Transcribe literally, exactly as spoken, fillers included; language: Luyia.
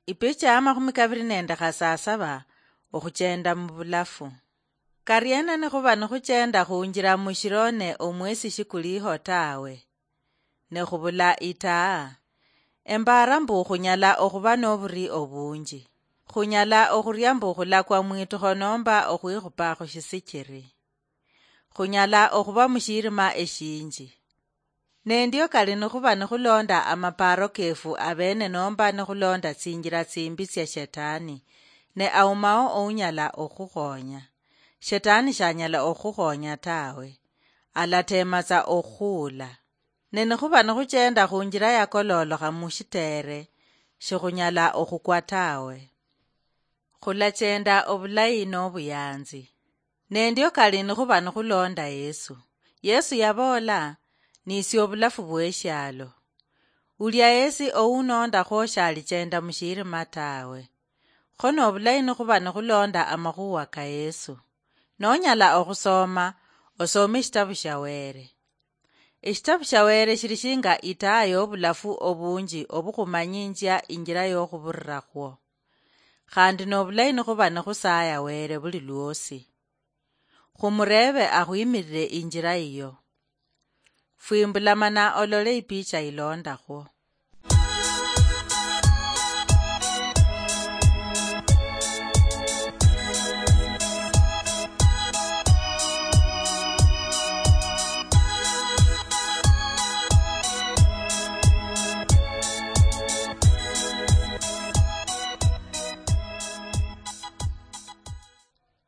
Ipicha ya makhumi kaviri nende khasasava. Okhuchenda muvulafu. Kariena nikhuva nikhuchenda khunjila mushilone omwesi shikuliho tawe? Nekhuvula itaa. Embara mbu khunyala okhuva novuri ovunji. Khunyala okhuria mbu khulakwa mwitukho nomba okhwikhupa khushisichiri. Khunyala okhuva mushirima eshinji. Nendio kali nikhuva nikhulonda amaparo kefu avene nomba nikhulonda tsinjila tsimbi tsia shetani, ne aumao ounyala okhukhonya. Shetani shanyala okhukhonya tawe. Alatematsa okhuula. Ne nikhuva nikhuchenda khunjila yakololokha mushitere, shikhunyala okhukwa tawe. Khulachenda obulayi nobuyanzi. Nendio kali nikhuva nikhulonda Yesu. Yesu yavoola, "Nisie obulafu bweshialo. Ulia yesi ounondakhwo shalichenda mushirima tawe." Kho nobulayi nikhuva nikhulonda amakhuwa ka Yesu. Nonyala okhusoma, osome eshitabu shia Were. Eshitabu shia Were shili shinga itaa yobulafu obunji obukhumanyinjia injila yokhuburirakhuo. Khandi nobulayi nikhuva nikhusaya Were buli lwosi. Khumurebe akhwimirire injila yiyo. Fwimbula mana olole ipicha ilondakhwo.